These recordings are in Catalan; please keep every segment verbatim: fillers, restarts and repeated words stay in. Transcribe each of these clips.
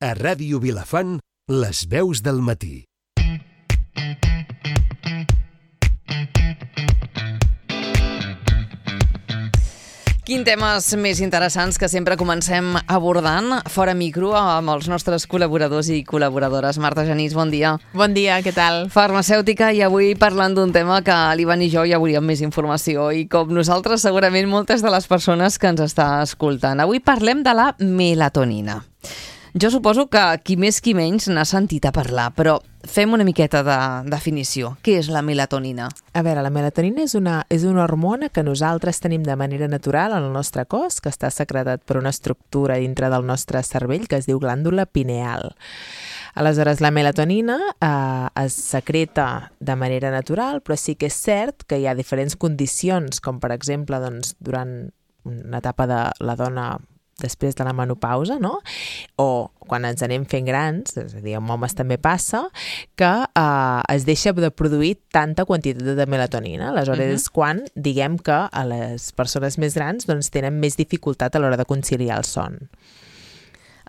A Ràdio Vilafant, les veus del matí. Quin temes més interessants que sempre comencem abordant fora micro amb els nostres col·laboradors i col·laboradores. Marta Genís, bon dia. Bon dia, què tal? Farmacèutica, i avui parlant d'un tema que l'Ivan i jo ja volíem més informació i com nosaltres segurament moltes de les persones que ens està escoltant. Avui parlem de la melatonina. Jo suposo que qui més qui menys n'ha sentit a parlar, però fem una miqueta de definició. Què és la melatonina? A veure, la melatonina és una, és una hormona que nosaltres tenim de manera natural en el nostre cos, que està secretat per una estructura dintre del nostre cervell que es diu glàndula pineal. Aleshores, la melatonina eh, es secreta de manera natural, però sí que és cert que hi ha diferents condicions, com per exemple doncs, durant una etapa de la dona després de la menopausa, no? O quan ens anem fent grans, és a dir, amb homes també passa, que eh, es deixa de produir tanta quantitat de melatonina. Aleshores uh-huh. és quan diguem que a les persones més grans doncs, tenen més dificultat a l'hora de conciliar el son.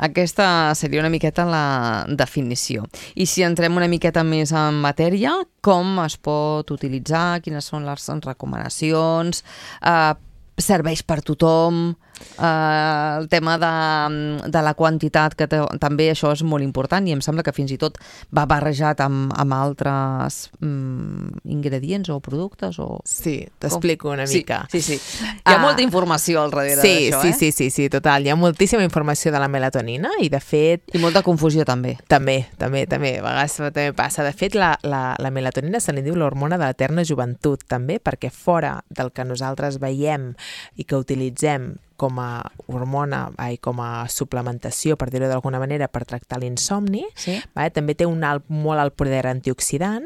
Aquesta seria una miqueta la definició. I si entrem una miqueta més en matèria, com es pot utilitzar, quines són les recomanacions, eh, serveix per tothom, eh, el tema de, de la quantitat, que te, també això és molt important i em sembla que fins i tot va barrejat amb, amb altres mm, ingredients o productes. O... Sí, t'explico una mica. Sí, sí, sí. Hi ha uh, molta informació al darrere sí, d'això, sí, eh? Sí, sí, sí, total. Hi ha moltíssima informació de la melatonina i de fet... I molta confusió també. També, també, també. A vegades també passa. De fet, la, la, la melatonina se li diu l'hormona de l'eterna joventut, també, perquè fora del que nosaltres veiem i que utilitzem com a hormona i com a suplementació, per dir-ho d'alguna manera, per tractar l'insomni, sí? vale? També té un alt, molt alt poder antioxidant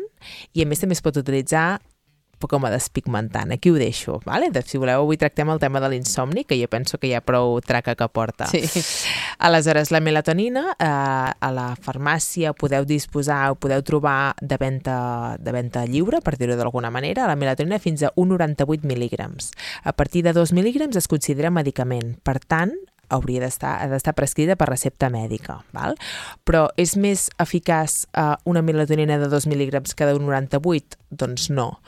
i a més també es pot utilitzar com a despigmentant. Aquí ho deixo. Vale? Si voleu, avui tractem el tema de l'insomni, que jo penso que hi ha prou traca que porta. Sí. Aleshores, la melatonina eh, a la farmàcia podeu disposar o podeu trobar de venda, de venda lliure, per dir-ho d'alguna manera, la melatonina fins a un coma noranta-vuit mil·lígrams. A partir de dos mil·lígrams es considera medicament. Per tant, hauria d'estar ha d'estar prescrita per recepta mèdica, val? Però és més eficaç eh, una melatonina de dos mil·lígrams que de un noranta-vuit? Doncs no.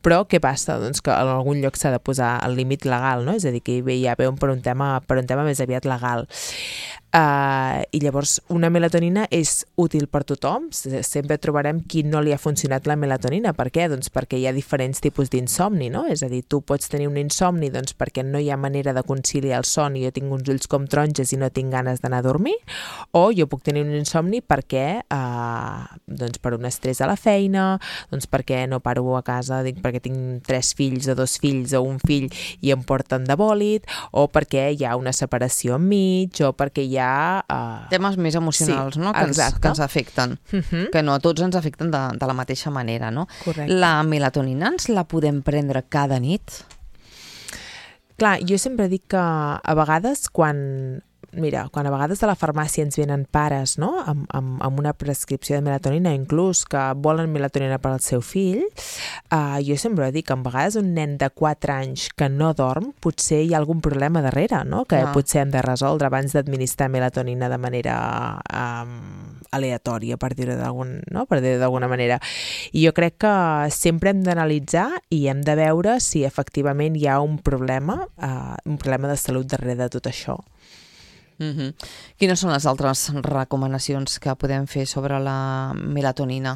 Però què passa? Doncs que en algun lloc s'ha de posar el límit legal, no? És a dir, que ja veuen per un tema, per un tema més aviat legal. Uh, I llavors una melatonina és útil per tothom, sempre trobarem qui no li ha funcionat la melatonina. Per què? Doncs perquè hi ha diferents tipus d'insomni, no? És a dir, tu pots tenir un insomni doncs, perquè no hi ha manera de conciliar el son i jo tinc uns ulls com taronges i no tinc ganes d'anar a dormir, o jo puc tenir un insomni perquè uh, doncs per un estrès a la feina, doncs perquè no paro a casa, dic, perquè tinc tres fills o dos fills o un fill i em porten de bòlit, o perquè hi ha una separació enmig, o perquè hi ha Uh... temes més emocionals, sí, no? Que ens, que ens afecten, uh-huh. que no a tots ens afecten de, de la mateixa manera, no? Correcte. La melatonina ens la podem prendre cada nit? Clar, jo sempre dic que a vegades quan... Mira, quan a vegades a la farmàcia ens venen pares, no?, amb, amb, amb una prescripció de melatonina, inclús que volen melatonina per al seu fill, uh, jo sempre dic que a vegades un nen de quatre anys que no dorm, potser hi ha algun problema darrere, no?, que ah. potser hem de resoldre abans d'administrar melatonina de manera um, aleatòria, per dir-ho d'algun, no? per dir-ho d'alguna manera. I jo crec que sempre hem d'analitzar i hem de veure si efectivament hi ha un problema, uh, un problema de salut darrere de tot això. Mm-hmm. Quines són les altres recomanacions que podem fer sobre la melatonina?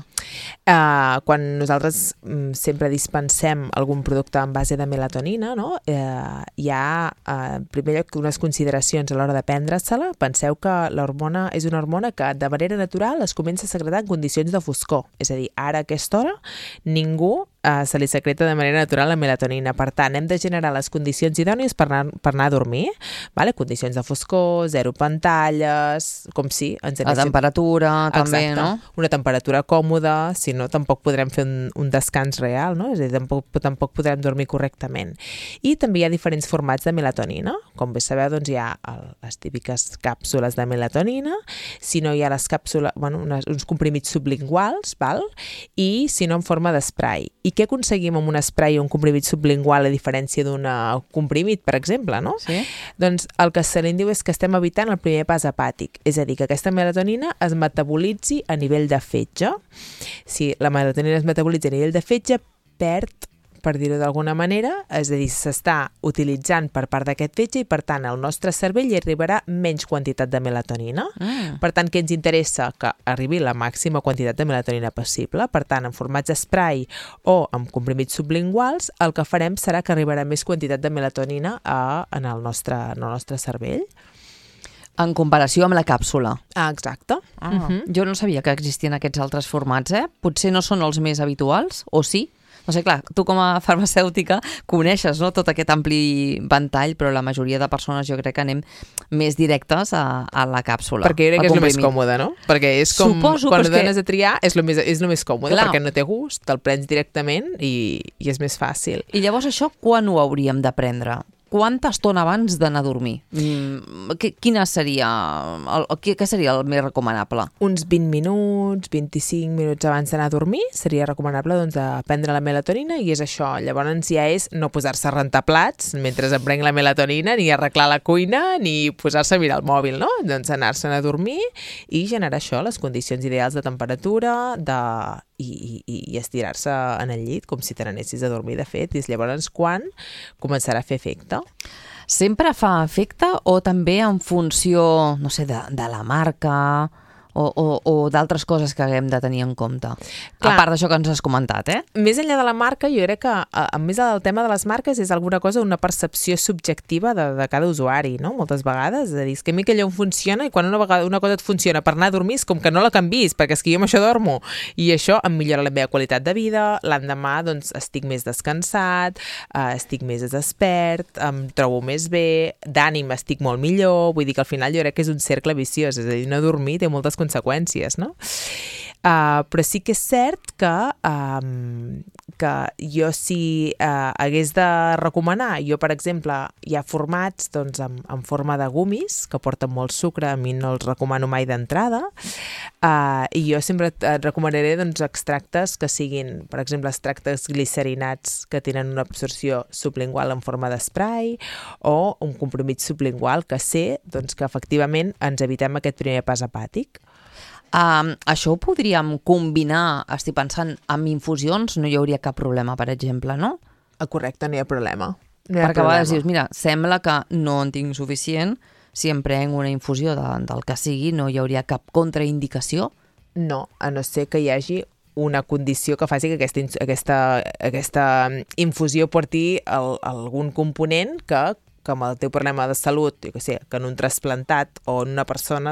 Uh, quan nosaltres um, sempre dispensem algun producte en base de melatonina, no? uh, hi ha, uh, en primer lloc, unes consideracions a l'hora de prendre-se-la. Penseu que l'hormona és una hormona que de manera natural es comença a secretar en condicions de foscor. És a dir, ara a aquesta hora ningú Uh, se li secreta de manera natural la melatonina. Per tant, hem de generar les condicions idònies per anar, per anar a dormir, vale? Condicions de foscor, zero pantalles, com si... Ens la temperatura, Exacte. També, no? Una temperatura còmoda, si no, tampoc podrem fer un, un descans real, no? És a dir, tampoc, tampoc podrem dormir correctament. I també hi ha diferents formats de melatonina. Com bé sabeu, doncs hi ha el, les típiques càpsules de melatonina, si no hi ha les càpsules, bueno, unes, uns comprimits sublinguals, val? I si no en forma d'esprai. I què aconseguim amb un spray o un comprimit sublingual a diferència d'un comprimit, per exemple, no? Sí. Doncs el que se li diu és que estem evitant el primer pas hepàtic, és a dir, que aquesta melatonina es metabolitzi a nivell de fetge. Si la melatonina es metabolitza a nivell de fetge, perd, per dir-ho d'alguna manera, és a dir, s'està utilitzant per part d'aquest fetge i, per tant, al nostre cervell hi arribarà menys quantitat de melatonina. Mm. Per tant, què ens interessa? Que arribi la màxima quantitat de melatonina possible. Per tant, en formats spray o amb comprimits sublinguals, el que farem serà que arribarà més quantitat de melatonina a, en, el nostre, en el nostre cervell. En comparació amb la càpsula. Ah, exacte. Ah, uh-huh. Jo no sabia que existien aquests altres formats, eh? Potser no són els més habituals, o sí? No sé, clar, tu com a farmacèutica coneixes, no?, tot aquest ampli ventall, però la majoria de persones jo crec que anem més directes a, a la càpsula. Perquè jo crec que és el més còmode, no? Perquè és com, Suposo, quan ho dones que... a triar, és el més, és el més còmode, clar, perquè no té gust, te'l prens directament i, i és més fàcil. I llavors això quan ho hauríem de prendre? Quanta estona abans d'anar a dormir? Mm, quina seria el, què seria el més recomanable? Uns vint minuts, vint-i-cinc minuts abans d'anar a dormir seria recomanable, doncs, prendre la melatonina, i és això. Llavors ja és no posar-se a rentar plats mentre em prenc la melatonina, ni arreglar la cuina, ni posar-se a mirar el mòbil, no? Doncs anar-se'n a dormir i generar això, les condicions ideals de temperatura, de... i, i, i estirar-se en el llit com si te n'anessis a dormir, de fet, i és llavors quan començarà a fer efecte. Sempre fa efecte o també en funció, no sé, de, de la marca o, o, o d'altres coses que haguem de tenir en compte? Clar, a part d'això que ens has comentat, eh? Més enllà de la marca, jo crec que, a més del tema de les marques, és alguna cosa, una percepció subjectiva de, de cada usuari, no? Moltes vegades, és a dir, és que a mi aquella em funciona, i quan una vegada una cosa et funciona per anar a dormir, és com que no la canvis, perquè és que jo amb això dormo, i això em millora la meva qualitat de vida, l'endemà, doncs, estic més descansat, eh, estic més despert, em trobo més bé, d'ànim estic molt millor, vull dir que al final jo crec que és un cercle viciós, és a dir, no dormir té moltes conseqüències, no? Uh, però sí que és cert que, um, que jo si uh, hagués de recomanar, jo per exemple hi ha formats, doncs, en, en forma de gumis que porten molt sucre, a mi no els recomano mai d'entrada, uh, i jo sempre et recomanaré, doncs, extractes que siguin, per exemple, extractes glicerinats que tenen una absorció sublingual en forma d'esprai, o un comprimit sublingual que sé, doncs, que efectivament ens evitem aquest primer pas hepàtic. Um, això ho podríem combinar, estic pensant, amb infusions, no hi hauria cap problema, per exemple, no? Correcte, no hi ha problema. No hi ha Perquè problema. a vegades dius, mira, sembla que no en tinc suficient, si em prenc una infusió de, del que sigui, no hi hauria cap contraindicació? No, a no ser que hi hagi una condició que faci que aquesta, aquesta, aquesta infusió porti el, algun component que que amb el teu problema de salut, jo què sé, que en un trasplantat o en una persona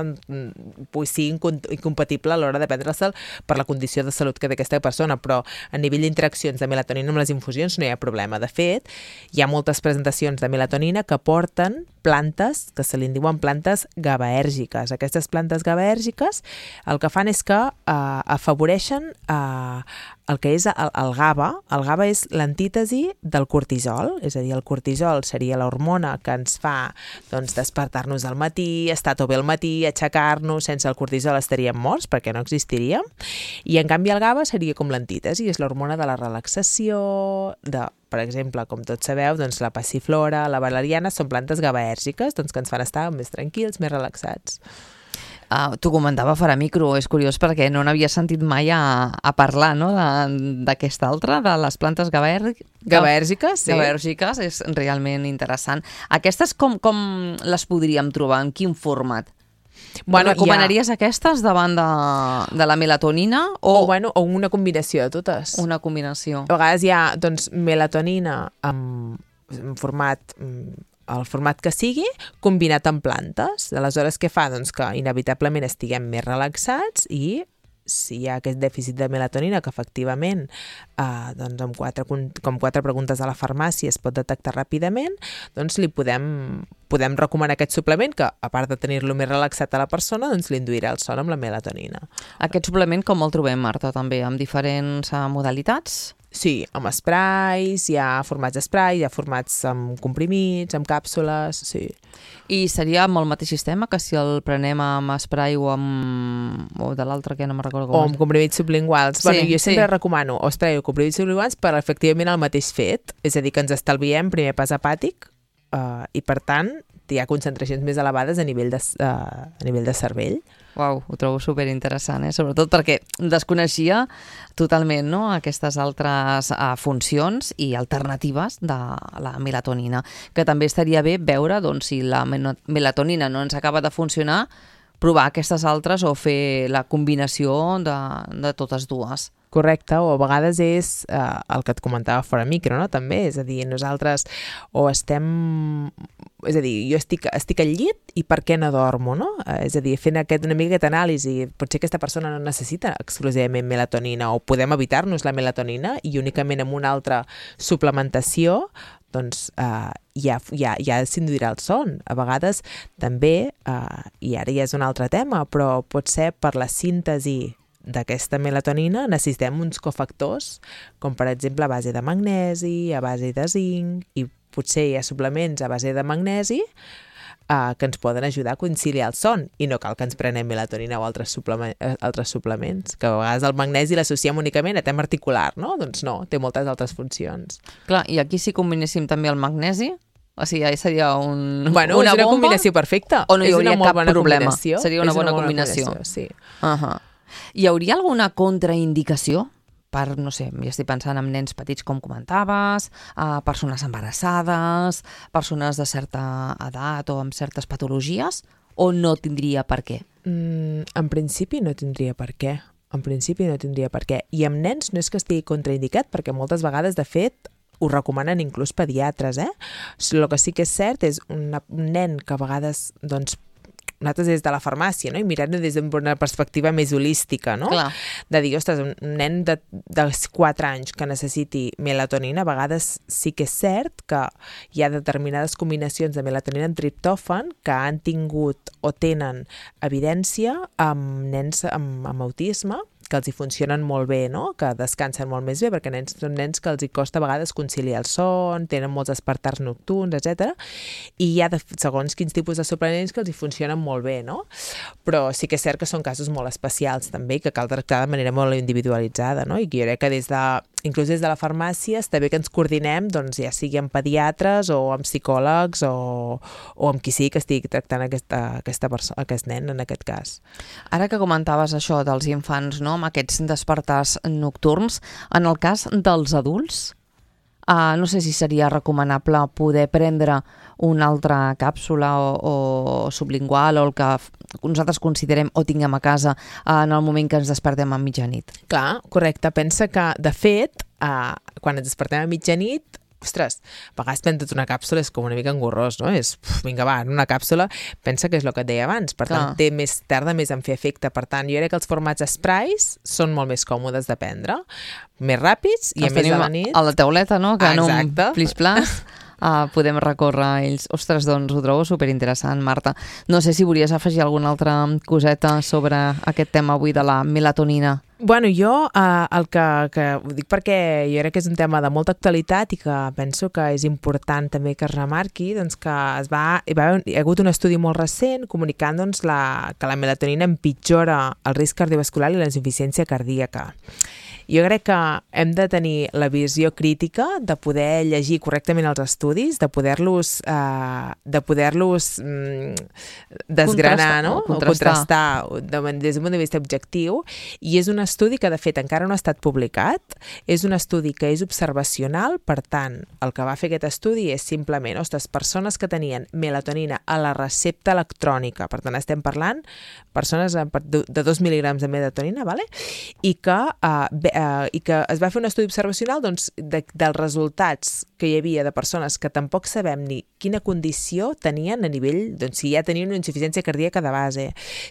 pugui ser incompatible a l'hora de prendre-se'l per la condició de salut que té aquesta persona, però a nivell d'interaccions de melatonina amb les infusions no hi ha problema. De fet, hi ha moltes presentacions de melatonina que porten plantes, que se li diuen plantes gabaèrgiques. Aquestes plantes gabaèrgiques el que fan és que eh, afavoreixen eh, el que és el, el GABA. El GABA és l'antítesi del cortisol, és a dir, el cortisol seria l'hormona que ens fa, doncs, despertar-nos al matí, estar tot bé al matí, aixecar-nos. Sense el cortisol estaríem morts perquè no existiria. I en canvi el GABA seria com l'antítesi, és l'hormona de la relaxació, de, per exemple, com tots sabeu, doncs la passiflora, la valeriana són plantes gabaèrgiques, doncs, que ens fan estar més tranquils, més relaxats. Uh, T'ho comentava fora micro, és curiós perquè no n'havia sentit mai a, a parlar, no?, d'aquesta altra, de les plantes gabaèrgiques. Gabaèrgiques, sí. Gabaèrgiques, és realment interessant. Aquestes com, com les podríem trobar? En quin format? Bueno, recomanaries ha... aquestes davant de, de la melatonina? O... O, bueno, o una combinació de totes. Una combinació. A vegades hi ha, doncs, melatonina en, en format... el format que sigui, combinat amb plantes. Aleshores, què fa? Doncs que inevitablement estiguem més relaxats i si hi ha aquest dèficit de melatonina que efectivament eh, doncs amb quatre, com quatre preguntes a la farmàcia es pot detectar ràpidament, doncs li podem, podem recomanar aquest suplement que, a part de tenir-lo més relaxat a la persona, doncs li induirà el son amb la melatonina. Aquest suplement com el trobem, Marta, també, amb diferents uh, modalitats? Sí, amb sprays, hi ha formats d'esprai, hi ha formats amb comprimits, amb càpsules, sí. I seria amb el mateix sistema que si el prenem amb spray o amb... o de l'altre que no me'n recordo com O amb comprimits sublinguals. Sí, bueno, jo sempre sí. recomano o spray o comprimits sublinguals per efectivament el mateix fet, és a dir, que ens estalviem primer pas hepàtic uh, i per tant hi ha concentracions més elevades a nivell de, uh, a nivell de cervell. Uau, ho trobo superinteressant, eh? Sobretot perquè desconeixia totalment, no?, aquestes altres uh, funcions i alternatives de la melatonina, que també estaria bé veure doncs, si la melatonina no ens acaba de funcionar, provar aquestes altres o fer la combinació de, de totes dues. Correcte, o a vegades és eh, el que et comentava fora micro, no? També, és a dir, nosaltres o estem... És a dir, jo estic, estic al llit i per què no dormo, no? Eh, és a dir, fent aquest, una mica aquesta anàlisi, potser aquesta persona no necessita exclusivament melatonina o podem evitar-nos la melatonina i únicament amb una altra suplementació doncs eh, ja, ja, ja s'induirà el son. A vegades també, eh, i ara ja és un altre tema, però pot ser per la síntesi d'aquesta melatonina necessitem uns cofactors, com per exemple a base de magnesi, a base de zinc, i potser hi ha suplements a base de magnesi eh, que ens poden ajudar a conciliar el son, i no cal que ens prenem melatonina o altres, suplement, eh, altres suplements, que a vegades el magnesi l'associem únicament a tema articular, no? Doncs no, té moltes altres funcions. Clar, i aquí si combinéssim també el magnesi, o sigui, ja seria un, bueno, una és una bomba, combinació perfecta. o no hi és hauria una molt cap bona problema, combinació. seria una, és bona, una bona combinació. combinació, sí. Uh-huh. Hi hauria alguna contraindicació per, no sé, ja estic pensant en nens petits com comentaves, uh, persones embarassades, persones de certa edat o amb certes patologies, o no tindria per què? Mm, en principi no tindria per què. En principi no tindria per què. I amb nens no és que estigui contraindicat, perquè moltes vegades, de fet, ho recomanen inclús pediatres, eh? El que sí que és cert és una, un nen que a vegades, doncs, nosaltres des de la farmàcia, no? I mirant-ho des d'una perspectiva més holística, no? Clar. De dir, ostres, un nen de, de quatre anys que necessiti melatonina, a vegades sí que és cert que hi ha determinades combinacions de melatonina amb triptòfan que han tingut o tenen evidència amb nens amb, amb autisme, que els hi funcionen molt bé, no? Que descansen molt més bé, perquè nens són nens que els hi costa a vegades conciliar el son, tenen molts despertars nocturns, etcètera. I hi ha, de, segons quins tipus de suplements, que els hi funcionen molt bé, no? Però sí que és cert que són casos molt especials, també, que cal tractar de manera molt individualitzada, no? I que jo crec que des de, inclús des de la farmàcia està bé que ens coordinem, doncs, ja sigui amb pediatres o amb psicòlegs o, o amb qui sigui que estigui tractant aquesta, aquesta persona, aquest nen, en aquest cas. Ara que comentaves això dels infants, no?, amb aquests despertars nocturns, en el cas dels adults, uh, no sé si seria recomanable poder prendre una altra càpsula o, o sublingual o el que nosaltres considerem o tinguem a casa uh, en el moment que ens despertem a mitjanit. Clar, correcte. Pensa que, de fet, uh, quan ens despertem a mitjanit, ostres, a vegades prendre una càpsula és com una mica engorrós, no? És, uf, vinga, va, en una càpsula, pensa que és el que et deia abans, per tant, té més, tarda més en fer efecte. Per tant, jo crec que els formats sprays són molt més còmodes de prendre, més ràpids i a més a la nit. A la tauleta, no?, que ah, en un plis-plas uh, podem recórrer a ells. Ostres, doncs ho trobo superinteressant, Marta. No sé si volies afegir alguna altra coseta sobre aquest tema avui de la melatonina. Bueno, jo eh, el que, que ho dic perquè jo crec que és un tema de molta actualitat i que penso que és important també que es remarqui, doncs que es va, hi, va, hi ha hagut un estudi molt recent comunicant doncs, la, que la melatonina empitjora el risc cardiovascular i la insuficiència cardíaca. Jo crec que hem de tenir la visió crítica de poder llegir correctament els estudis, de poder-los eh, de poder-los mm, desgranar, contrastar, no? O contrastar. O contrastar de, des d'un punt de vista objectiu, i és un estudi que de fet encara no ha estat publicat, és un estudi que és observacional, per tant, el que va fer aquest estudi és simplement, ostres, persones que tenien melatonina a la recepta electrònica, per tant estem parlant persones de dos mil·lígrams de melatonina, vale? I que eh, Uh, i que es va fer un estudi observacional doncs, de, dels resultats que que hi havia de persones que tampoc sabem ni quina condició tenien a nivell, doncs si ja tenien una insuficiència cardíaca de base,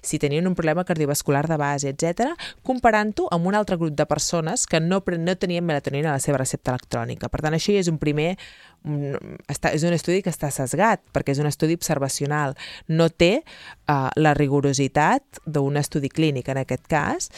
si tenien un problema cardiovascular de base, etcètera, comparant-ho amb un altre grup de persones que no, no tenien melatonina a la seva recepta electrònica. Per tant, això ja és un primer Està, és un estudi que està sesgat, perquè és un estudi observacional. No té uh, la rigorositat d'un estudi clínic, en aquest cas.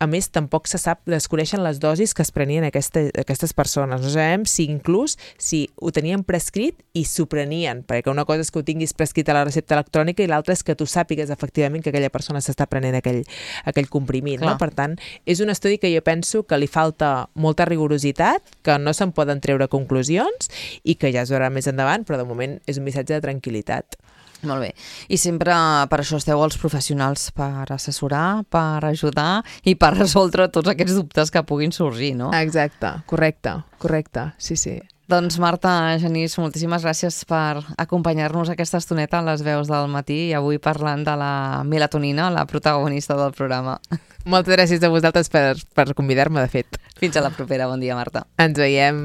A més, tampoc se sap, desconeixen les dosis que es prenien aquesta, aquestes persones. No sabem si inclús si ho tenien prescrit i s'ho prenien, perquè una cosa és que ho tinguis prescrit a la recepta electrònica i l'altra és que tu sàpigues efectivament que aquella persona s'està prenent aquell, aquell comprimit. No? Per tant, és un estudi que jo penso que li falta molta rigorositat, que no se'n poden treure conclusions i que ja es veurà més endavant, però de moment és un missatge de tranquil·litat. Molt bé. I sempre per això esteu els professionals, per assessorar, per ajudar i per resoldre tots aquests dubtes que puguin sorgir, no? Exacte, correcte, correcte, sí, sí. Doncs Marta Genís, moltíssimes gràcies per acompanyar-nos aquesta estoneta a les veus del matí i avui parlant de la melatonina, la protagonista del programa. Moltes gràcies a vosaltres per, per convidar-me, de fet. Fins a la propera. Bon dia, Marta. Ens veiem.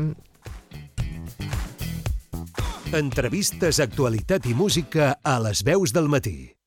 Entrevistes, actualitat i música a les veus del matí.